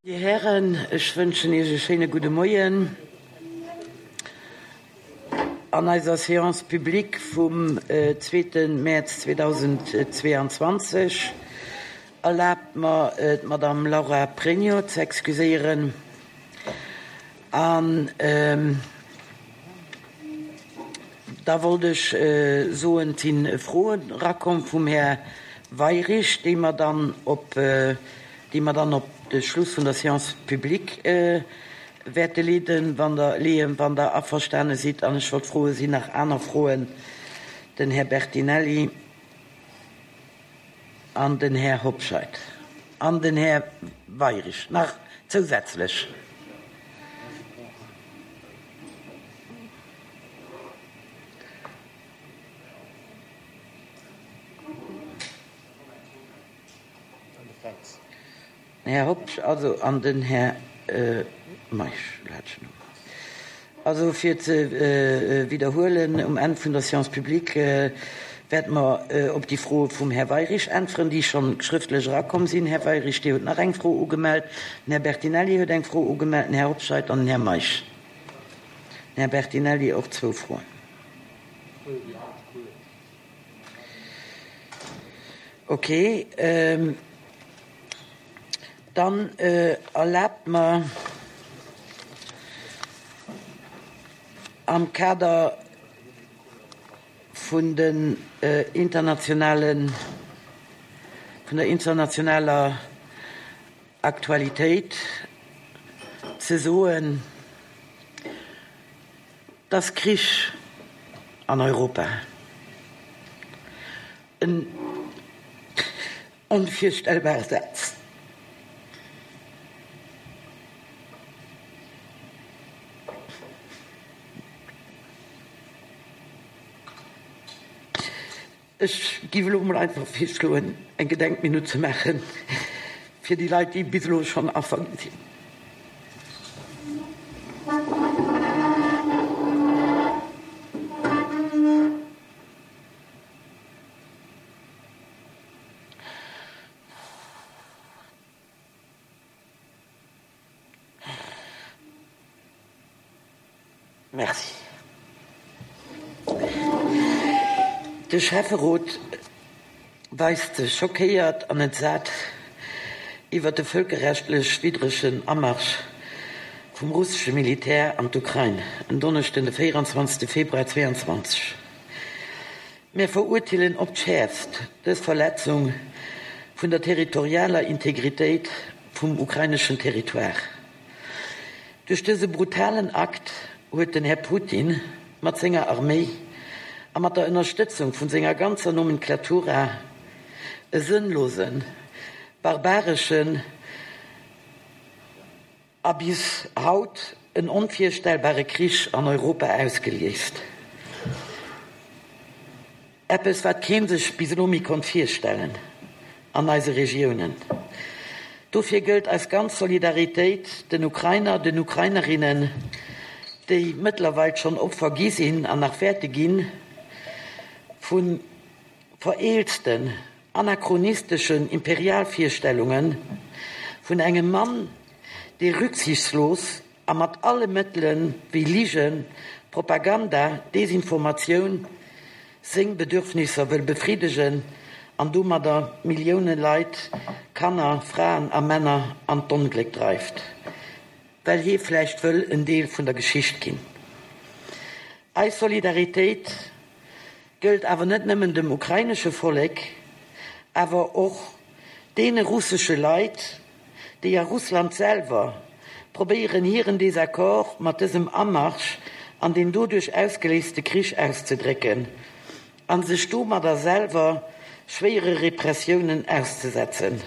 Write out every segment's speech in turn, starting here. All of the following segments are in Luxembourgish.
Dir Hären, ech wënschen Iech e schéine gudde Moien an eiser Séance publique vum zweete Mäerz 2022. Erlaabt mer, d'Madame Laura Pregno ze excuséieren an da wollt ech soen, et si Froen erakomm vum Här Weyrich, déi mer dann op déi mer dann op de Schluss vun der Séance publique wäerte leeden, wann Der, leeën, wann Der averstane sidd. An ech wollt froen, Sinn nach aner Froen? Den Här Bertinelli an den Här Hobscheit an den Här Weyrich nach zousätzlech. Den Här Hobsch also an den Här Meisch. Also fir ze widderhuelen, um Enn vun der Séance publique wäerte mer op déi Froe vum Här Weyrich äntweren, déi scho schrëftlech erakomm sinn. Här Weyrich, Dir hutt nach eng Fro ugemellt, den Här Bertinelli huet eng Fro ugemellt, den Här Hobscheit an den Här Meisch. Den Här Bertinelli och zwou Froen. Ok, dann erlaabt mer am Kader vun den internationalen, vun der internationaler Aktualitéit ze soen, Dass Krich an Europa en onvirstellbare Saz. Ech giff elo mol einfach virschloen eng Gedenkminutt ze maachen fir déi Leit déi bis elo schonn Affer ginn sinn. Merci. De Schäfferot weist sech schockéiert an entsat iwwer de vëlkerrechtlech widdregen Amarsch vum russesche Militär an d'Ukrain en Donneschden, de 24 Februar 2022. Mir verurteelen op d'Schäerfst dës Verletzung vun der territorialer Integritéit vum ukraineschen Territoire. Duerch dëse brutalen Akt huet den Här Putin mat senger Arméi a mat der Ënnerstëtzung vun senger ganzer Nomenklatura e sënnlosen, barbareschen a bis haut en onvirstellbare Krich an Europa ausgeliest. Eppes, wat kee sech bis elo méi konnt virstellen an eise Regiounen. Dofir gëllt eis ganz Solidaritéit den Ukrainer, den Ukrainerinnen, déi mëttlerweil schonn Opfer gi sinn an nach wäerte ginn vu vereelzten, anachronisteschen Imperialvirstellunge vun engem Mann, dee rücksichtslos a mat alle Mëttele wéi Ligen, Propaganda, Desinformatioun seng Bedürfnisser wëll befriddegen an domadder Millioune Leit, Kanner, Fraen a Männer an d'Ongléck dreift, well hie vläicht wëll en Deel vun der Geschicht ginn. Eis Solidaritéit gëllt awer net nëmmen dem ukrainesche Vollek, awer och deene russesche Leit, déi a Russland selwer probéieren hiren Désaccord mat dësem Amarsch an deen doduerch ausgeléiste Krich auszedrécken a sech domadder selwer schwéiere Repressiounen auszesetzen.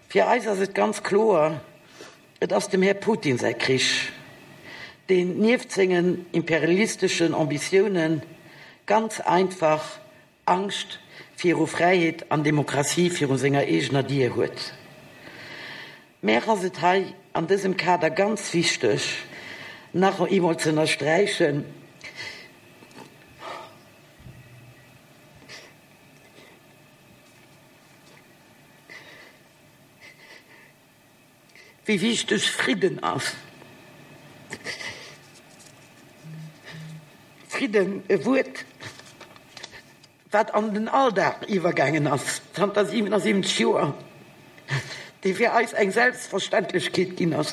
Fir eis ass et ganz kloer, Et ass dem Här Putin säi Krich, deen nieft sengen imperialisteschen Ambitiounen ganz einfach Angscht viru Fräiheet an Demokratie viru senger eegener Dier huet. Mär ass et hei an dësem Kader ganz wichteg, nach eemol ze ënnersträichen, wéi wichteg Fridden ass. Fridden, e Wuert, wat an den Alldag iwwergaangen ass zanter 77 Joer, dee fir eis eng Selbstverständlechkeet ginn ass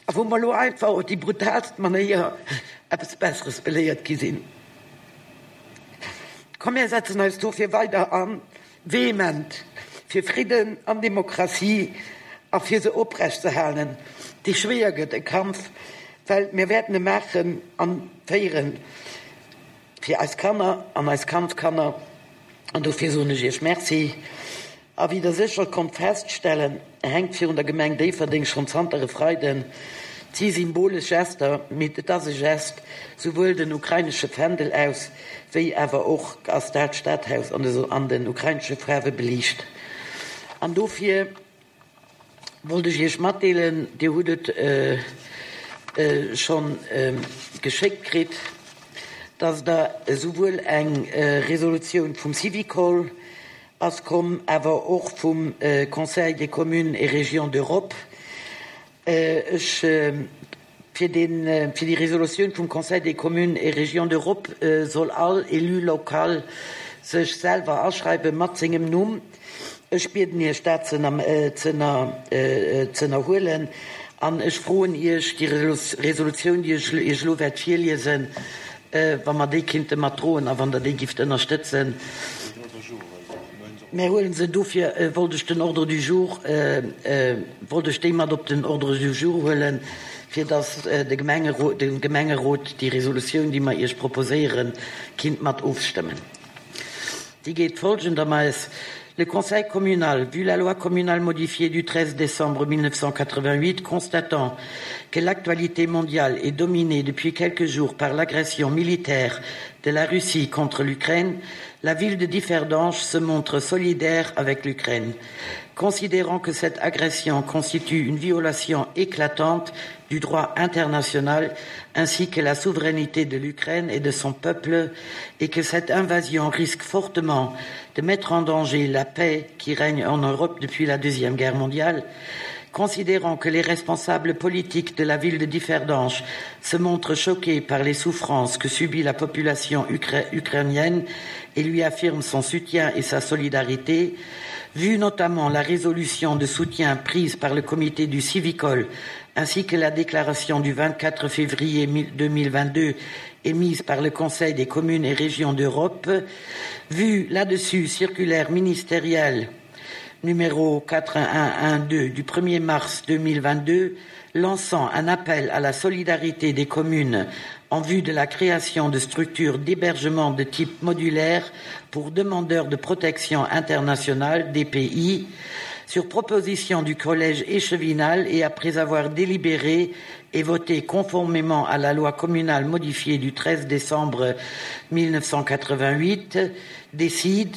a wou mer elo einfach op déi brutaalst Manéier eppes Besseres beléiert gi sinn. Komm mir setzen eis dofir weider an, vehement fir Fridden an Demokratie a fir se oprecht ze halen. Dee schwéier gëtt, e Kampf, well mir wäerten e maachen an féieren fir eis Kanner an eis Kandskanner. An dofir soen ech Iech Merci. A wéi Der sécher konnt feststellen, hänkt virun der Gemeng Déifferdeng schonn zanter e Freiden, et si symbolesch Gester, mee et ass e Gest, souwuel den ukrainesche Fändel aus, wéi awer och ass dat Stadhaus an den ukrainesche Faarwe beliicht. An dofir wollt ech Iech matdeelen, Dir hutt et scho geschéckt kritt, dass Der esouwuel eng Resolutioun vum Syvicol ass komm, awer och vum Conseil des communes et régions d'Europe, Ech, fir deen, fir déi Resolutioun vum Conseil des communes et régions d'Europe soll all Élu local sech selwer aschreiwe mat sengem Numm. Ech bieden Iech dat ze ënnerhuelen an ech froen Iech, déi Resolutioun, déi ech Iech elo wäert virliesen, wa mer déi kinnte mat droen a wann Der déi gifft ënnerstëtzen. Mär huelen se. Dofir wollt ech den Ordre du jour, wollt ech déi mat op den Ordre du jour huelen, fir datt de Gemengerot, de Gemengerot déi Resolutioun, déi mer Iech proposéieren, kinnt mat ofstëmmen. Déi geet folgendermaess, Le Conseil communal, vu la loi communale modifiée du 13 décembre 1988, constatant que l'actualité mondiale est dominée depuis quelques jours par l'agression militaire de la Russie contre l'Ukraine, la ville de Differdange se montre solidaire avec l'Ukraine. Considérant que cette agression constitue une violation éclatante du droit international ainsi que la souveraineté de l'Ukraine et de son peuple et que cette invasion risque fortement de mettre en danger la paix qui règne en Europe depuis la Deuxième Guerre mondiale, considérant que les responsables politiques de la ville de Differdange se montrent choqués par les souffrances que subit la population ukra ukrainienne et lui affirment son soutien et sa solidarité, vu notamment la résolution de soutien prise par le comité du Civicol ainsi que la déclaration du 24 février 2022 émise par le Conseil des communes et régions d'Europe, vu là-dessus circulaire ministérielle numéro 4112 du 1er mars 2022 lançant un appel à la solidarité des communes en vue de la création de structures d'hébergement de type modulaire pour demandeurs de protection internationale DPI, sur proposition du collège échevinal et après avoir délibéré et voté conformément à la loi communale modifiée du 13 décembre 1988, décide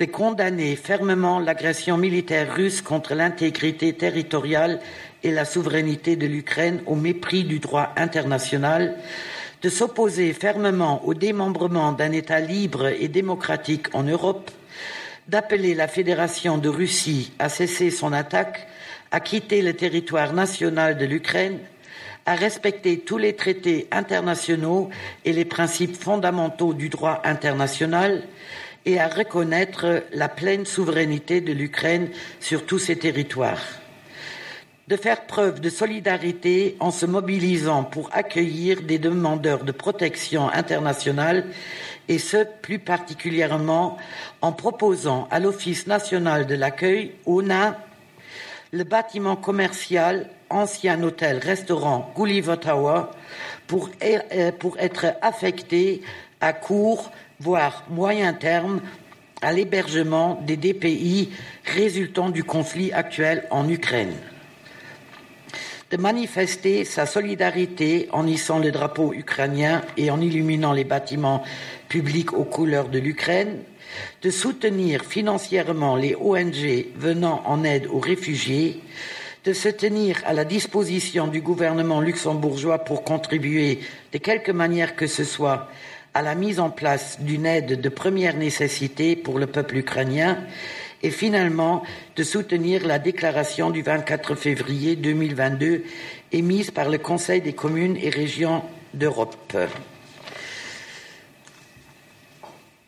de condamner fermement l'agression militaire russe contre l'intégrité territoriale et la souveraineté de l'Ukraine au mépris du droit international, de s'opposer fermement au démembrement d'un État libre et démocratique en Europe, d'appeler la Fédération de Russie à cesser son attaque, à quitter le territoire national de l'Ukraine, à respecter tous les traités internationaux et les principes fondamentaux du droit international et à reconnaître la pleine souveraineté de l'Ukraine sur tous ses territoires de faire preuve de solidarité en se mobilisant pour accueillir des demandeurs de protection internationale et ce plus particulièrement en proposant à l'Office national de l'accueil ONA le bâtiment commercial ancien hôtel restaurant Gulliver Tower pour, euh, pour être affecté à court voire moyen terme à l'hébergement des DPI résultant du conflit actuel en Ukraine. De manifester sa solidarité en hissant le drapeau ukrainien et en illuminant les bâtiments publics aux couleurs de l'Ukraine, de soutenir financièrement les ONG venant en aide aux réfugiés, de se tenir à la disposition du gouvernement luxembourgeois pour contribuer de quelque manière que ce soit à la mise en place d'une aide de première nécessité pour le peuple ukrainien Et finalement de soutenir la déclaration du 24 février 2022 émise par le Conseil des communes et régions d'Europe.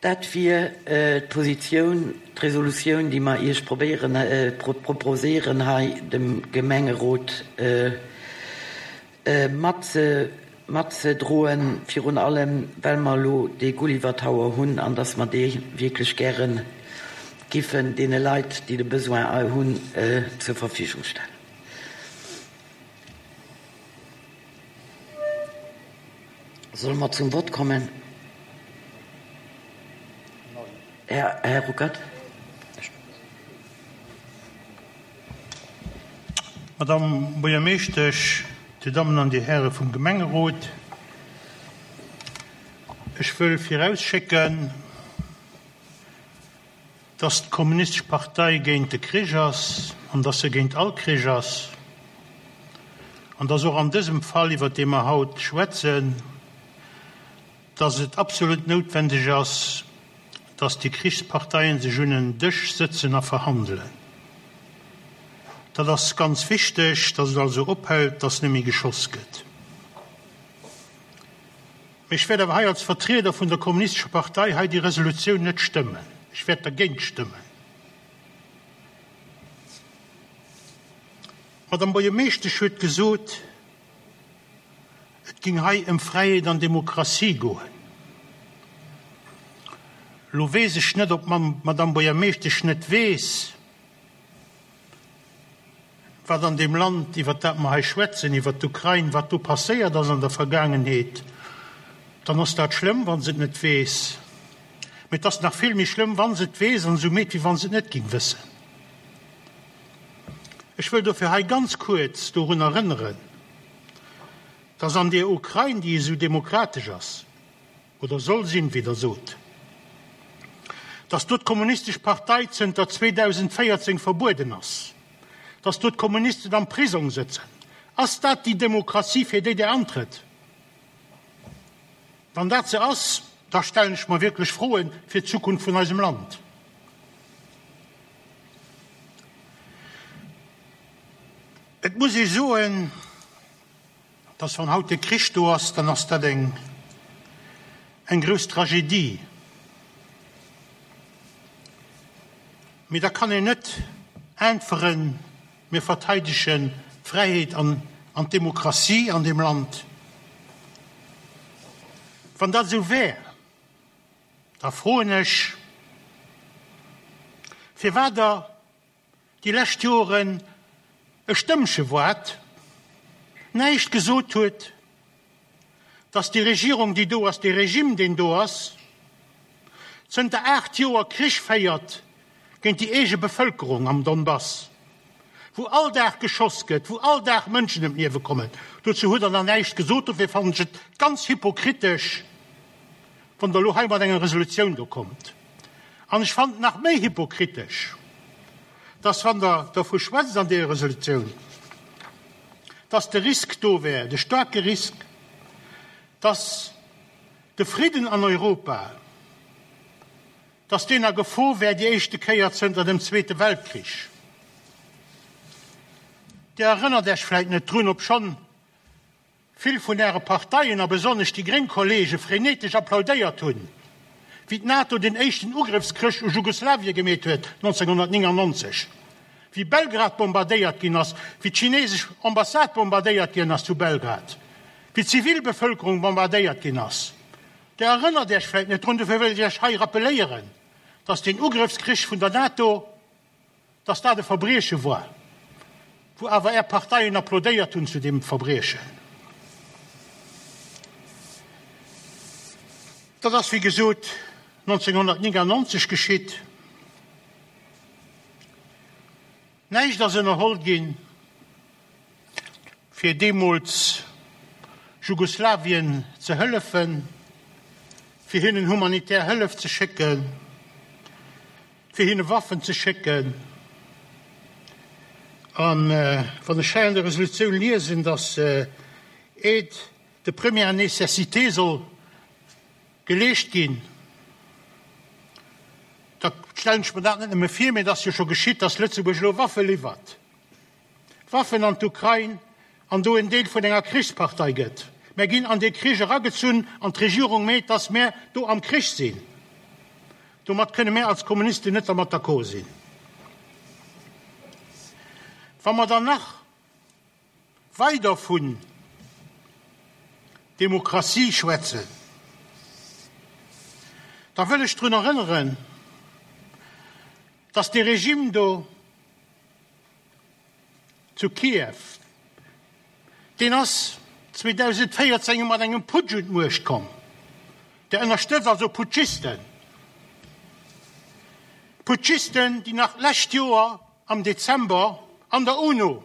Dat wier d'Positioun, d'Resolutioun, déi mer Iech probéieren, proposéieren hei dem Gemengerot matzedroen, virun allem well mer elo dee Gulliver Tower hunn an dass mer dee wierklech gäre giffen deene Leit, déi de Besoin hunn, zur Verfügung stellen. Solle mer zum Vott kommen? Här Ruckert. Madamm Buergermeeschtesch, Dir Dammen an Dir Häre vum Gemengerot, ech wëll virausschécken, dass d'Kommunistesch Partei géint de Krich ass an dass se géint all Krich ass an dass och an dësem Fall, iwwert dee mer haut schwätzen, dass et absolut noutwendeg ass, dass déi Krichsparteien sech un en Dësch sëtzen a verhandelen. Dat ass ganz wichteg, dass et also ophält, dass net méi geschoss gëtt. Mee ech wäert awer hei als Vertrieder vun der Kommunistescher Partei hei déi Resolutioun net stëmmen. Ech wäert dergéint stëmmen. D'Madame Buergermeeschtesch huet gesot, et géing hei ëm Fräiheet an Demokratie goen. Elo weess ech net, ob d'Madame Buergermeeschtesch net weess, wat an deem Land, iwwert dat mer hei schwätzen, iwwert d'Ukrain, wat do passéiert ass an der Vergaangenheet, dann ass dat schlëmm, wa se et net weess. Mee et ass nach vill méi schlëmm, wa se et weess an esou meet, wéi wa se et net géing wëssen. Ech wëll dofir hei ganz kuerz dorun erënneren, dass an deer Ukrain, déi esou demokratesch ass, oder soll sinn, wéi Der sot, dass do d'Kommunistesch Partei zënter 2014 verbueden ass, dass do d'Kommunisten am Prisong sëtzen. Ass dat déi Demokratie, fir déi Der antrëtt? Wann dat se ass, da stellen ech mer wierklech Froe fir d'Zukunft vun eisem Land. Et muss ee soen, dass wann haut de Krich do ass, dann ass dat eng eng grouss Tragedie. Mee da kann een net äntweren, mir verteidegen d'Fräiheet an an d'Demokratie an deem Land. Wann dat esou wär, da froen ech, firwat Der déi lescht Joren e Stëmmche waart, näischt gesot huet, datt déi Regierung, déi do ass, dee Regime, deen do ass, zënter 8 Joer Krich féiert géint déi eege Bevëlkerung am Donbass, wou all Dag geschoss gëtt, wou all Dag Mënschen ëm d'Liewe kommen. Dozou hutt Der nach näischt gesot. Dofir fannen ech et ganz hypokritesch, wann Der elo hei mat enger Resolutioun do kommt. An ech fannen et nach méi hypokritesch, dass, wann Der dervu schwätzt an deeër Resolutioun, dass de Risk do wär, de staarke Risk, dass de Fridden an Europa, dass deen a Gefor wär, déi éischte Kéier zënter dem Zweete Weltkrich. Dir erënnert Iech vläicht net drun, obschonn vill vun Äre Parteien a besonnesch déi gréng Kollege frenetesch applaudéiert hunn, wéi d'NATO den éischten Ugrëffskrëch u Jugoslawie gemeet huet 1999, wéi Belgrad bombardéiert ginn ass, wéi d'chinesesch Ambassade bombardéiert ginn ass zu Belgrad, wéi d'Zivilbevëlkerung bombardéiert ginn ass. Der erënnert Iech vläit net drun, dofir wëll ech Iech hei rappeléieren, dass deen Ugrëffskrich vun der NATO, dass dat e Verbrieche war, wou awer Är Parteien applaudéiert hunn zu deem Verbriechen. Dat ass, wéi gesot, 1999 geschitt. Näischt ass ënnerholl ginn, fir deemools Jugoslawien ze hëllefen, fir hinnen humanitär Hëllef ze schécken, fir hinne Waffen ze schécken. A wann ech hei an der Resolutioun liesen, datt Aide de première nécessité soll geleescht ginn, Da stellen ech mer dat net nëmme vir, mee et ass jo scho geschitt, dass Lëtzebuerg elo Waffe liwwert, Waffen an d'Ukrain, an do en Deel vun enger Krichspartei gëtt. Mär ginn an dee Krich eragezunn an d'Regierung meet, dass mär do am Krich sinn. Domat kënne mär als Kommunisten net dermat d'accord sinn. Wa mer dann nach weider vun Demokratie schwätzen, da wëll ech drun erënneren, dass dee Regime do zu Kiew, deen ass 2014 mat engem Putsch un d'Muecht komm, der ënnerstëtzt also Putschisten, Putschisten, déi nach d'lescht Joer am Dezember an der UNO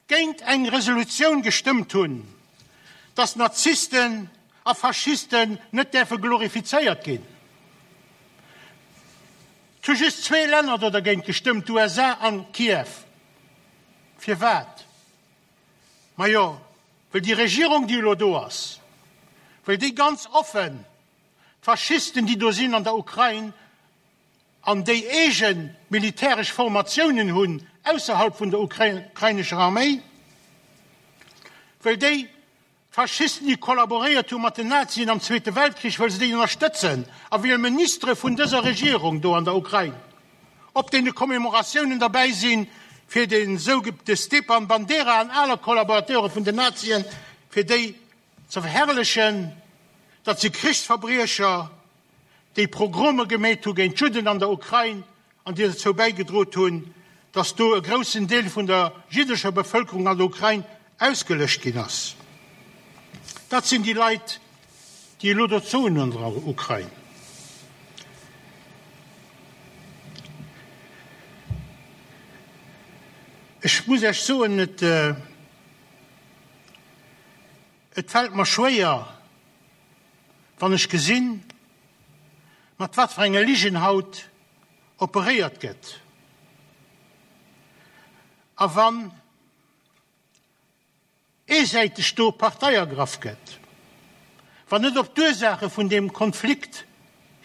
géint eng Resolutioun gestëmmt hunn, datt Nazisten a Faschisten net däerfe glorifizéiert ginn. Et hu just zwee Länner do dergéint gestëmmt, d'USA an Kiew. Firwat? Majo, well déi Regierung, déi elo do ass, well déi ganz offen d'Faschisten, déi do sinn an der Ukrain, an déi eege militäresch Formatiounen hunn ausserhalb vun der ukrainescher Arméi, well déi d'Faschisten, déi kollaboréiert hu mat den Nazien am Zweete Weltkrich, well se déi ënnerstëtzen a well Ministere vun dëser Regierung do an der Ukrain op deene Commemoratiounen derbäi sinn, fir de sou de Stepan Bandera an aler Kollaborateure vun den Nazien, fir déi ze verherrlechen, datt si Krichsverbriecher. déi Progrome gemeet hu géint d'Judden an der Ukrain an déi dozou bäigedrot hunn, datt do e groussen Deel vun der jiddescher Bevëlkerung an der Ukrain ausgelöscht ginn ass. Dat sinn déi Leit, déi elo do d'Soen hunn an der Ukrain. Ech muss Iech soen, et fält mer schwéier, Wann ech gesinn, mat wat fir enge Ligen haut operéiert gëtt, a wann eesäiteg do Partei ergraff gëtt, wann net op d'Ursaache vun deem Konflikt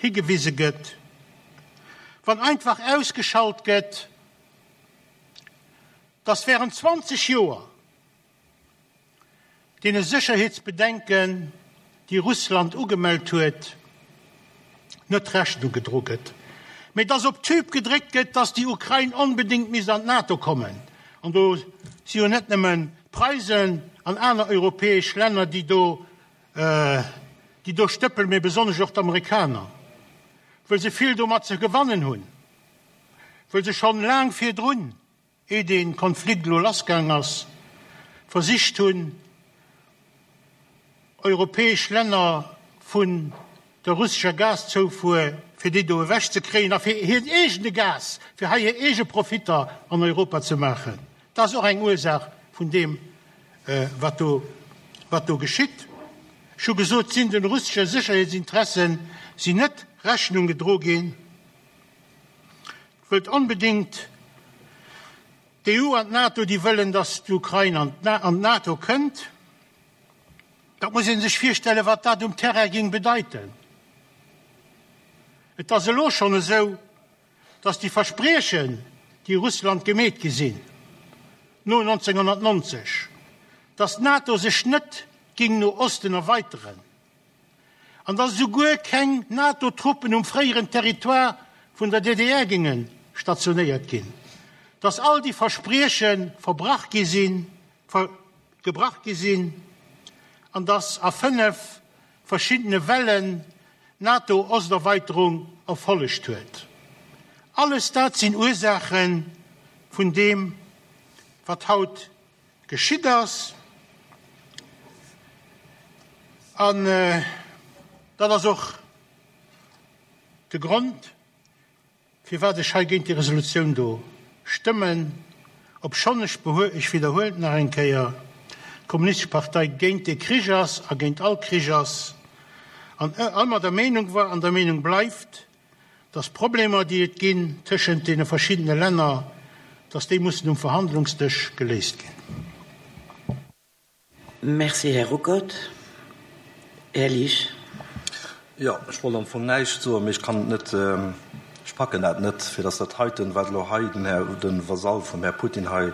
higewise gëtt, wann einfach ausgeschalt gëtt, dass während 20 Joer Deene Sécherheetsbedenken, déi Russland ugemellt huet, net Rechnung gedro gëtt, mee dass op d'Tube gedréckt gëtt, dass déi Ukrain onbedéngt misst an d'NATO kommen. An do si jo net nëmmen d'Preisen an aner europäesch Länner, déi do, déi do stëppelen, mee besonnesch och d'Amerikaner, wëll se vill domat ze gewannen hunn, wëll se schonn laang virdrun, Ee dee Konflikt elo lassgaang ass, versicht hunn, europäesch Länner vun der russescher Gaszoufuer, fir déi do ewech ze kréien a fir hiren eegene Gas, fir hei hir eege Profitter an Europa ze maachen. Dat ass och eng Ursaach vun deem, wat do, wat do geschitt. Ech hu gesot, sinn de russesche Sécherheetsinteressen sinn net Rechnung gedro ginn. Wëllt onbedéngt d'EU an d'NATO, déi wëllen, datt d'Ukrain an d'NATO kënnt. Dat muss ee sech virstellen, wat dat um Terrain géing bedeiten. Et ass elo schonn esou, datt déi Verspriechen, déi Russland gemeet gi sinn no 1990, datt d'NATO sech net géing no Osten erweiteren, an datt esouguer keng NATO-Truppen um fréieren Territoire vun der DDR géinge stationéiert ginn, datt all déi Versprieche verbrach gi sinn, gebrach gi sinn an datt a 5 verschiddene Wellen d'NATO-Osterweiterung erfollegt huet. Alles dat sinn Ursaache vun deem, wat haut Geschitt ass. An dat ass och de Grond, firwat ech hei géint déi Resolutioun do stëmmen, obschonn ech, ech widderhuelen et nach eng Kéier, d'Kommunistesch Partei géint dee Krich ass a géint all Krich ass an ëmmer der Meenung war an der Meenung bleift, dass d'Problemer, déi et ginn tëschent deene verschiddene Länner, dass déi mussen um Verhandlungsdësch geléist ginn. Merci, Här Ruckert. Här Liesch. Jo, ech wollt am Fong näischt soen, mee ech kann et net. Ech packen dat net, fir dass dat heiten, wat elo hei den Här, de Vasall vum Här Putin hei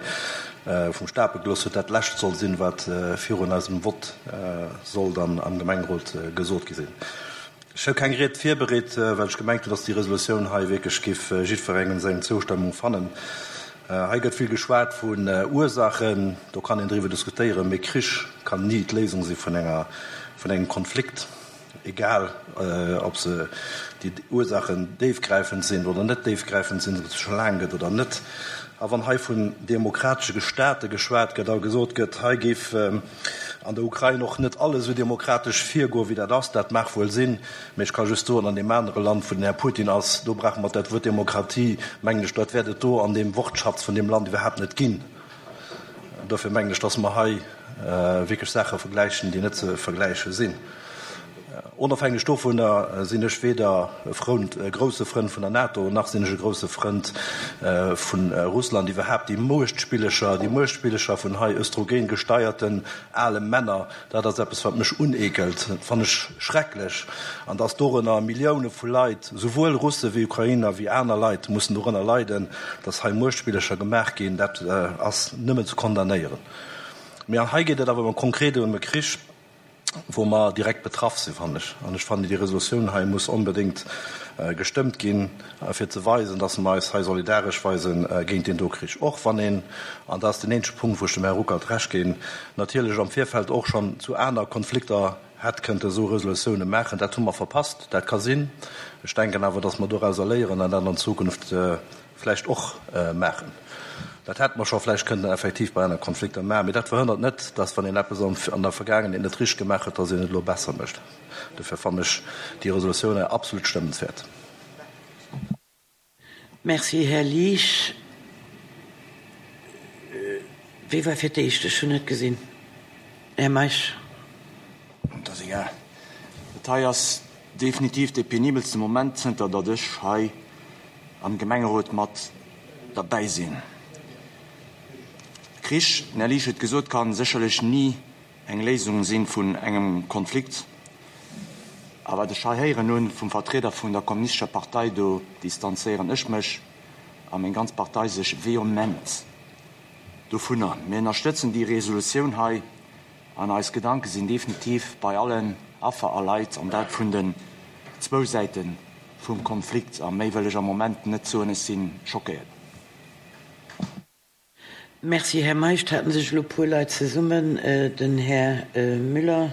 vum Stapel gelooss huet, dat Lescht soll sinn, wat virun eisem Vott soll dann am Gemengerot gesot gi sinn. Ech hu keng Ried virbereet, well ech gemengt hunn, dass déi Resolutioun hei wierklech géif jiddwerengem seng Zoustëmmung fannen. Hei gëtt vill geschwat vun Ursachen, do kann een driwwer diskutéieren, mee Krich kann ni d'Léisung si vun enger, vun engem Konflikt. Egal ob se, déi Ursachen déifgräifend sinn oder net déifgräifend sinn, ob et se scho laang gëtt oder net. A wann hei vun demokratesche Staate geschwat gëtt a gesot gëtt, hei géif an der Ukrain och net alles esou demokratesch virgoen, wéi dat ass, dat mag wuel sinn, mä ech ka just soen, an deem anere Land, wou den Här Putin ass, do brauche mer dat Wuert Demokratie, mengen ech, dat wäert et do an deem Wortschatz vun deem Land iwwerhaapt net ginn. Dofir mengen ech, dass mer hei wierklech Saache vergläichen, déi net ze vergläiche sinn. Onofhängeg dovunner sinn ech weder e Frënd, e grousse Frënd vun der NATO, nach sinn ech e grousse Frënd vu Russland. Iwwerhaapt déi Muechtspillecher, déi Muechtspillecher vun hei östrogen-gesteierten ale Männer, dat ass eppes, wat mech uneekelt. Dat fannen ech schrecklech. An dass dorënner Millioune vu Leit, souwuel Russe wéi Ukrainer wéi aner Leit, mussen dorënner leiden, dass hei Muechtspillecher gemaach ginn, dat ass nëmmen ze condamnéieren. Mee hei geet et awer konkret ëm e Krich, wou mer direkt betraff sinn, fannen ech. An ech fannen, déi Resolutioun hei muss onbedéngt gestëmmt ginn, fir ze weisen, dass mer eis hei solidaresch weise géint deen do Krich. Och wann een, an dat ass deen eenzege Punkt, wou ech dem Här Ruckert Recht ginn, natierlech am Virfeld och schonn zu aner Konflikter hätt kënnte esou Resolutiounen maachen. Dat hu mer verpasst, dat ka sinn. Ech denken awer, dass mer dorauser léieren an dat an Zukunft vläicht och maachen. Dat hätte mer scho vläicht kënnten effektiv bei aner Konflikter maachen, mee dat verhënnert net, dass, wann een eppes an der Vergaangenheet net richteg gemaach huet, dass een et elo besser mécht. Dofir fannen ech déi Resolutioun hei absolut stëmmenswäert. Merci, Här Liesch. Wie war fir d'éischt? Ech hunn net gesinn. Här Meisch. Et ass egal. Dat hei ass definitiv dee penibelste Moment, zënter datt ech hei am Gemengerot mat derbäi sinn. Krich, den Här Liesch huet gesot, ka sécherlech ni eng Léisung si vun engem Konflikt. A wat ech hei héieren hu vum Vertrieder vun der Kommunistescher Partei, do distanzéieren ech mech a meng ganz Partei sech vehement dovunner. Mir ënnerstëtzen déi Resolutioun hei an eis Gedanke sinn definitiv bei allen Affer a Leit, an dat vun den zwou Säite vum Konflikt. A méi wëll ech am Moment net soen, ech si schockéiert. Merci, Här Meisch. Et haten sech elo e puer Leit zesummen. Den Här Müller.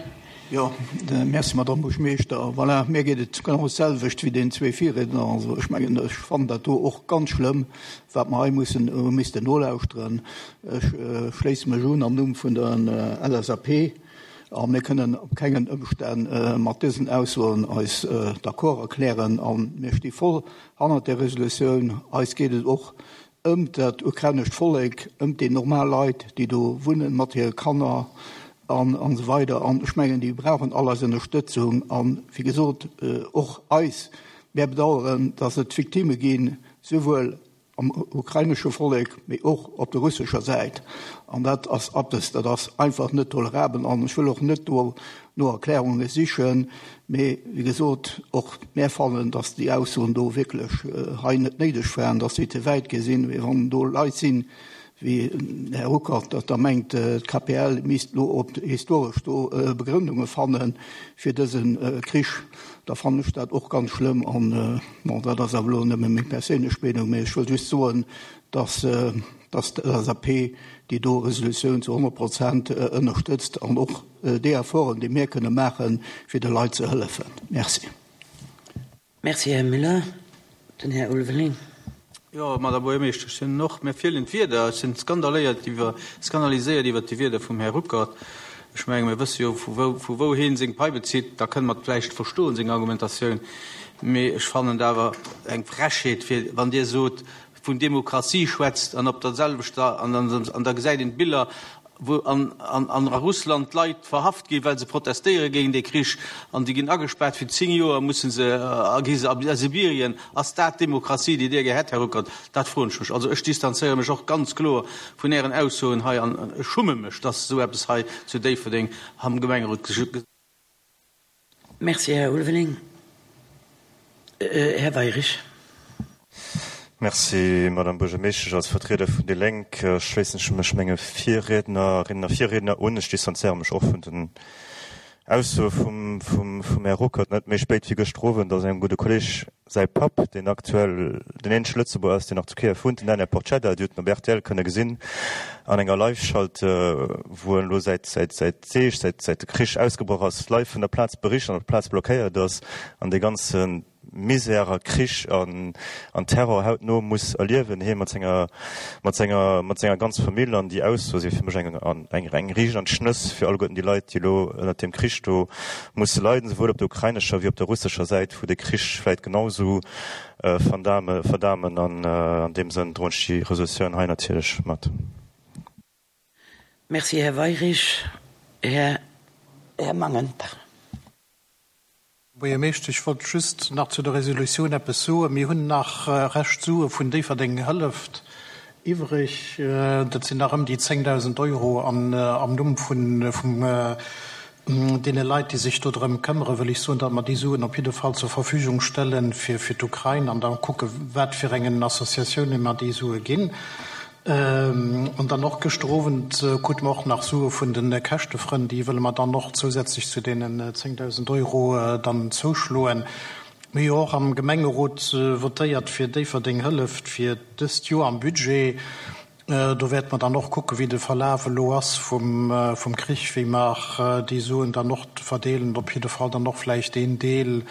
Jo, merci, Madamm Buergermeeschter. Voilà, mir geet et genau d'selwecht wéi deenen zwee Virriedner. Also ech mengen, ech fannen dat do och ganz schlëmm, wat mer hei mussen, hu missten nolauschteren. Ech schléisse mech un am Numm vun der LSAP a mir kënnen op kengen Ëmstänn mat dësen Aussoen eis d'accord erklären a mir sti voll hannert där Resolutioun. Eis geet et och ëm dat ukrainescht Vollek, ëm déi normal Leit, déi do wunnen mat hire Kanner an esou weider. An ech mengen, déi brauchen all eis Ënnerstëtzung an, wéi gesot, och eis. Mär bedauern, dass et Victimme ginn, souwuel am ukrainesche Vollek, mee och op der russescher Säit. An dat ass eppes, dat ass einfach net tolerabel. An ech wëll och net do no Erklärunge sichen, mee wéi gesot, och mär fannen, datt déi Aussoen do wierklech hei net néideg waren, datt déi ze wäit gi sinn. Mee wann do Leit sinn, wéi den Här Ruckert, datt der mengt, d'KPL misst elo op historesch do Begrëndunge fanne fir dëse Krich, da fannen ech dat och ganz schlëmm. An bon, dat ass awer elo nëmme meng perséinlech Meenung, mee ech wëll just soen, datt datt d'LSAP déi do Resolutioun zu 100 Prozent ënnerstëtzt an och déi Efforten, déi mir kënne maachen, fir de Leit ze hëllefen. Merci. Merci, Här Müller. Den Här Ulveling. Jo, Madame Buergermeeschter, ech sinn och, mir feelen d'Wierder, ech sinn skandaléiert iwwer, skandaliséiert iwwert déi Wierder vum Här Ruckert. Ech menge mir wësse jo, vu wou, vu wou hien seng Pai bezitt, da kënne mer et vläicht verstoen, seng Argumentatioun. Mee ech fannen et awer eng Frechheet, fir wann Dir sot, vun Demokratie schwätzt an op der selwechter, an, an da gesäit een d'Biller, wou an a Russland d'Leit verhaft ginn, well se protestéiere géint dee Krich, an déi ginn agespaart fir 10 Joer, musse se a gi se a Sibirien. Ass dat d'Demokratie, déi Dir gär hätt, Här Ruckert? Dat froen ech mech. Also ech distanzéiere mech och ganz kloer vun Ären Aussoen hei an ech schumme mech, dass esou eppes hei zu Déifferdeng am Gemengerot. Merci, Här Ulveling. Här Weirich. Merci, Madame Buergermeeschtesch. Als Vertrieder vun déi Lénk schléissen ech mech menge Virriednerinnen a Virriedner un. Ech distanzéiere mech och vun den Aussoe vum Här Ruckert. Net méi spéit wéi gëschter Owend ass engem gudde Kolleg säi Papp, deen aktuell den eenzege Lëtzebuerger ass, deen nach zu Kiew wunnt, den Daniel Porcedda, Dir hutt en op rtl kënne gesinn an enger Live-Schalt, wou en elo säit Deeg, säit de Krich ausgebroch ass, live vun der Plaz bericht an op der Plaz blockéiert ass an dee ganze Misär a Krich an Terror hautno muss erliewen, hie mat senger, mat senger, mat senger ganz Famill. An déi Ausso si fir mech eng, eng, eng riicht an d'Schnëss fir alleguerten déi Leit, déi elo ënnert deem Krich do musse leiden, souwuel op der ukrainescher wéi op der russescher Säit, wou de Krich vläit genau esou verdame, verdamen. An an deem Sënn droen ech déi Resolutioun hei natierlech mat. Merci, Här Weyrich. Här, Här Mangen, pardon. Buergermeeschter, ech wollt just nach zu der Resolutioun eppes soen. Mir hunn nach Rescht Sue vun Déifferdeng hëlleft iwwreg. Dat sinn nach ëm déi 10.000 Euro. An am Numm vun deene Leit, déi sech do drëm këmmere, wëll ech soen, datt mer déi Suen op jidde Fall zur Verfügung stelle fir d'Ukrain an da kucke wat fir engen Associatiounen mer déi Sue ginn. An dann och gëschter Owend krute mer och nach Sue vun de Käschtefrënn, déi wëlle mer dann och zousätzlech zu deenen 10.000 Euro dann zouschloen. Mir hu jo och am Gemengerot votéiert fir Déifferdeng hëlleft fir dëst Joer am Budget. Do wäerte mer dann och kucken, wéi de Verlaf elo ass vum Krich, wéi mer déi Suen dann och verdeelen. Op jidde Fall dann och vläicht een Deel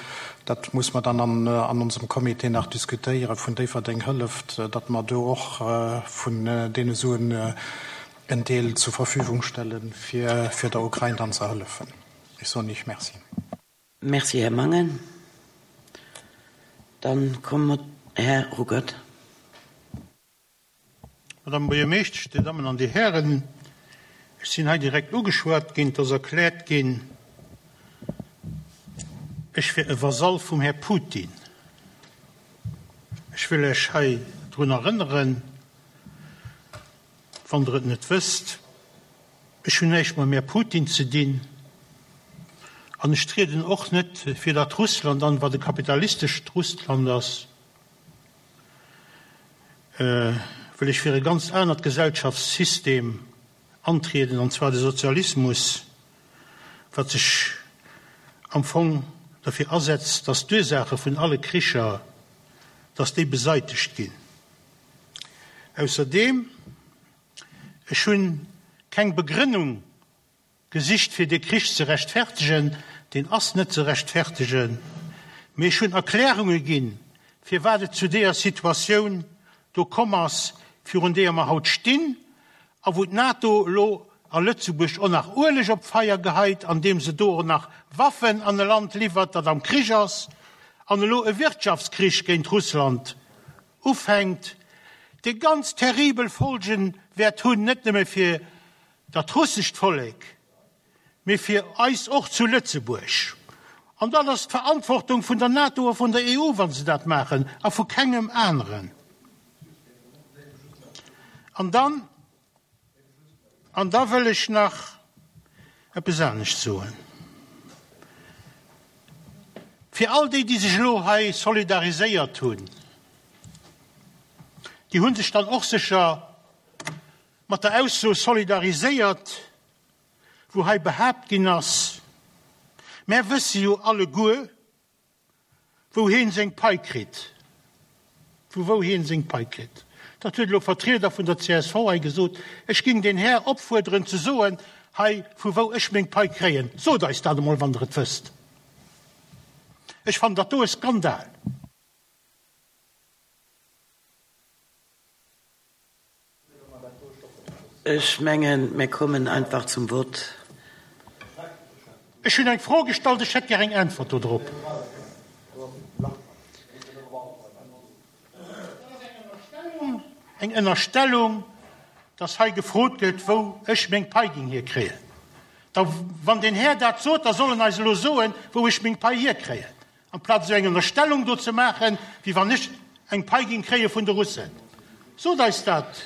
Dat muss mer dann an onsem Comité nach diskutéieren, vun Déifferdeng hëlleft, datt mer do och vun deene Suen en Deel zur Verfügung stellen, fir der Ukrain dann ze hëllefen. Ech soen Iech Merci. Merci, Här Mangen. Dann komme mer, Här Ruckert. Madame Buergermeeschtesch, Dir Dammen an Dir Hären, ech sinn hei direkt ugeschwat ginn, et ass erkläert ginn, ech wier e Vasall vum Här Putin. Ech wëll lech hei drun erënneren, wann Der et net wësst, ech hunn näischt mam Här Putin ze dinn an ech trieden och net fir dat Russland an, wat e kapitalistescht Russland ass. wëll ech fir e ganz anert Gesellschaftssystem antrieden, an zwar de Sozialismus, wat sech am Fong derfir asetzt, dass d'Ursaache vun alle Kricher, dass déi beseitegt ginn. Ausserdeem, ech hunn keng Begrënnung Gesicht fir dee Krich ze rechtfertegen, deen ass net ze rechtfertegen, mee ech hunn Erklärunge ginn, firwat et zu deeër Situatioun do komm ass, virun deeër mer haut stinn a wou d'NATO elo a Lëtzebuerg och nach Ueleg op d'Feier geheit, andeem se do och nach Waffen an e Land liwwert, dat am Krich ass an elo e Wirtschaftskrich géint Russland ufänkt, dee ganz terribel Folgen wäert hunn, net nëmme fir dat russescht Vollek, mee fir eis och zu Lëtzebuerg. An dat ass d'Verantwortung vun der NATO a vun der EU, wa se dat maachen, a vu kengem aneren. An dann, an da wëll ech nach eppes anescht soen. Fir all déi, déi sech elo hei solidariséiert hunn, déi hu sech dann och sécher mat der Ausso solidariséiert, wou hei behaapt ginn ass, Mär wësse jo alleguer, wou heen seng Pai kritt. Vu wou heen seng Pai kritt. Dat huet elo Vertrieder vun der csv hei gesot. Ech ging den Här opfuerderen ze soen hei, vu wou ech meng Pai kréien. Sot eis dat emol, wann Der et wësst. Ech fannen dat do e Skandal. Ech mengen, mir kommen einfach zum Vott. Ech hunn eng Fro gestallt, ech hätt gär eng Äntwert do drop. Eng Ënnerstellung, dass hei gefrot gëtt, wou ech meng Pai géing hierkréien. Da wann deen Här dat sot, da soll en eis elo soen, wou ech meng Pai hierkréien. Amplaz esou eng Ënnerstellung do ze maachen, wéi wann ech eng Pai ging kréie vun de Russen. Sot eis dat,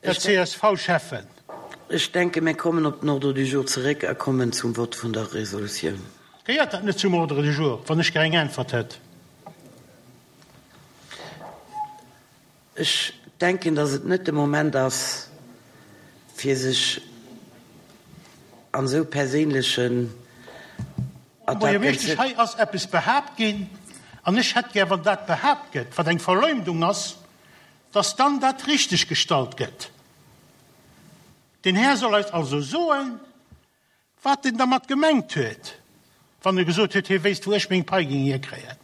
Här CSV-Schäffen. Ech denken, mir kommen op den Ordre du jour zeréck a kommen zum Vott vun der Resolutioun. Gehéiert dat net zum Ordre du jour, wann ech gär eng Äntwert hätt? Ech denken, dass et net de Moment ass, fir sech an esou perséinlechen Attacken ze. Buergermeeschtesch, hei ass eppes behaapt ginn, an ech hätt gär, wann dat behaapt gëtt, wat eng Verleumdung ass, dass dann dat richteg gestallt gëtt. Den Här soll eis also soen, wat en dermat gemengt huet, wann e gesot huet, hie wéisst, wou ech meng Pai géing hierkréien.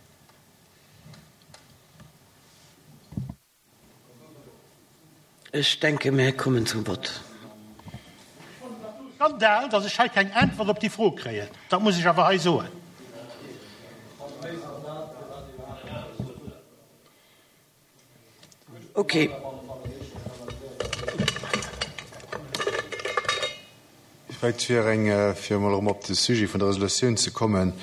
Ech denke, mir kommen zum Vott. Skandal, dass ech hei keng Äntwert op déi Fro kréien. Dat muss ech awer hei soen. Ok. Vläicht fir eng, fir emol erëm op de Sujet vun der Resolutioun ze kommen,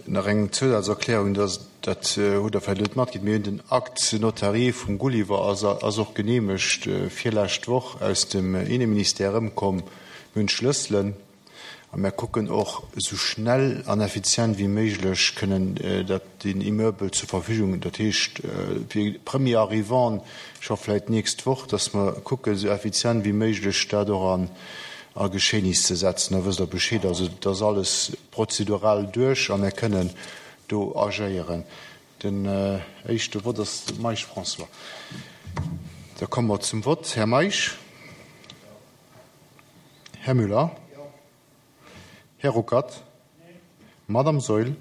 nach eng Zousazerklärung, dass, dat hutt Der vläicht net matkritt, mir hunn den Acte notarié vum Gulliver ass, ass och geneemegt virlescht Woch aus dem Inneministère erëmkomm. Mir hunn d'Schlësselen. A mär kucken och, esou schnell an effizient wéi méiglech kënnen dat, deen Immeuble zur Verfügung, dat heescht fir Premier arrivant scho vläicht d'nächst Woch, dass mer kucken, esou effizient wéi méiglech dat och an a Geschehnis ze setzen. Da wësst Der Bescheed. Also et ass alles prozedural duerch a mär kënnen do agéieren. Den éischte Vott ass de Meisch François. Da komme mer zum Vott. Här Meisch. Här Müller? Här Ruckert? Madame Saeul?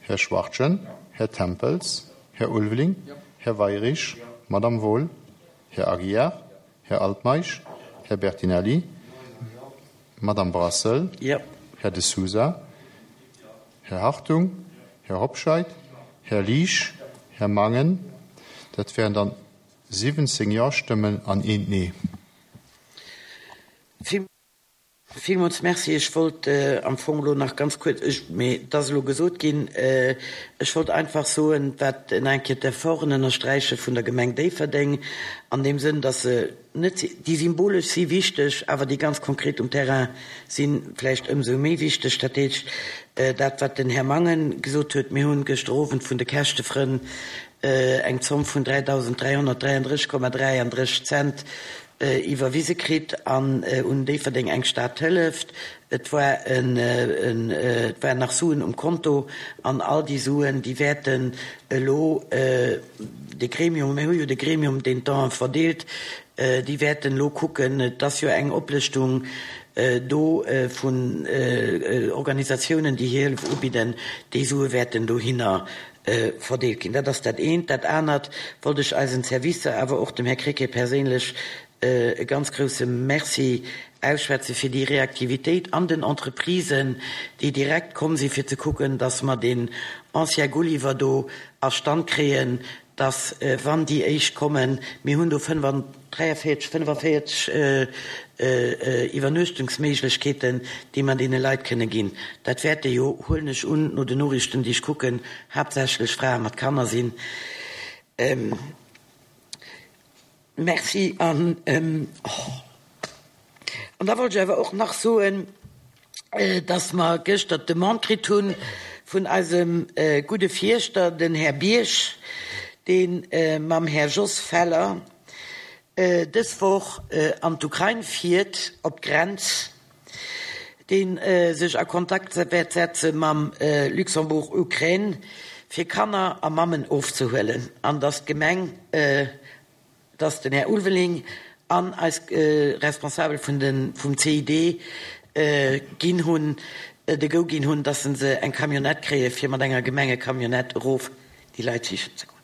Här Schwachtgen? Här Tempels? Här Ulveling? Här Weirich? Madame Wohl? Här Aguiar? Här Altmeisch? Här Bertinelli? Madame Brassel? Här De Sousa? Här Hartung? Här Hobscheit? Här Liesch? Här Mangen? Dat wären dann 17 Ja-Stëmmen an eent Nee. Villmools Merci. Ech wollt am Fong elo nach ganz kuerz, ech, mee et ass elo gesot ginn, ech wollt einfach soen, wat nach eng Kéier d'Efforten ënnersträiche vun der Gemeng Déifferdeng an deem Sënn, dass se net, déi symbolesch si wichteg, awer déi ganz konkret um Terrain si vläicht ëmsou méi wichteg. Dat heescht, dat wat den Här Mangen gesot huet, mir hunn gëschter Owend vun de Käschtefrënn eng Zomm vun 3.333,33 Cent iwwerwise kritt an un Déifferdeng eng Stad hëlleft. Et war en, et waren nach Suen um Konto an all déi Suen, déi wäerten elo de Gremium, mir hu jo de Gremium, deen d'Don'e verdeelt, déi wäerten elo kucken, et ass jo eng Oplëschtung do vun Organisatiounen, déi hir Hëllef ubidden, déi Sue wäerten dohinner verdeelt ginn. Dat ass dat eent. Dat anert wollt ech eisen Servicer, awer och dem Här Krecké perséinlech e ganz grouse Merci ausschwätze fir déi Reaktivitéit an den Entreprisen, déi direkt komm si fir ze kucken, dass mer deen Ancien Gulliver do a Stand kréien, dass wann déi éischt kommen, mir hunn do 43, 45 Iwwernuechtungsméiglechkeeten, déi mer deene Leit kënne ginn. Dat wäerte jo, huelen ech un, no den Noriichten, déi ech kucken, haaptsächlech Frae mat Kanner sinn. Merci. An da wollt ech awer och nach soen, dass mer gëschter d'Demande kritt hu vun eisem gudde Fierschter, den Här Bierg, dee mam Här Jos Feller dës Woch an d'Ukrain fiert, op d'Grenz, dee sech a Kontakt wäert setze mam Luxembourg Ukraine, fir Kanner a Mammen ofzehuelen, an dass d'Gemeng, dass den Här Ulveling an eis Responsabel vun de vum CID ginn hunn, de Go ginn hunn, dass se eng Camionnette kréie fir mat enger Gemengecamionnette erof déi Leit sichen ze goen.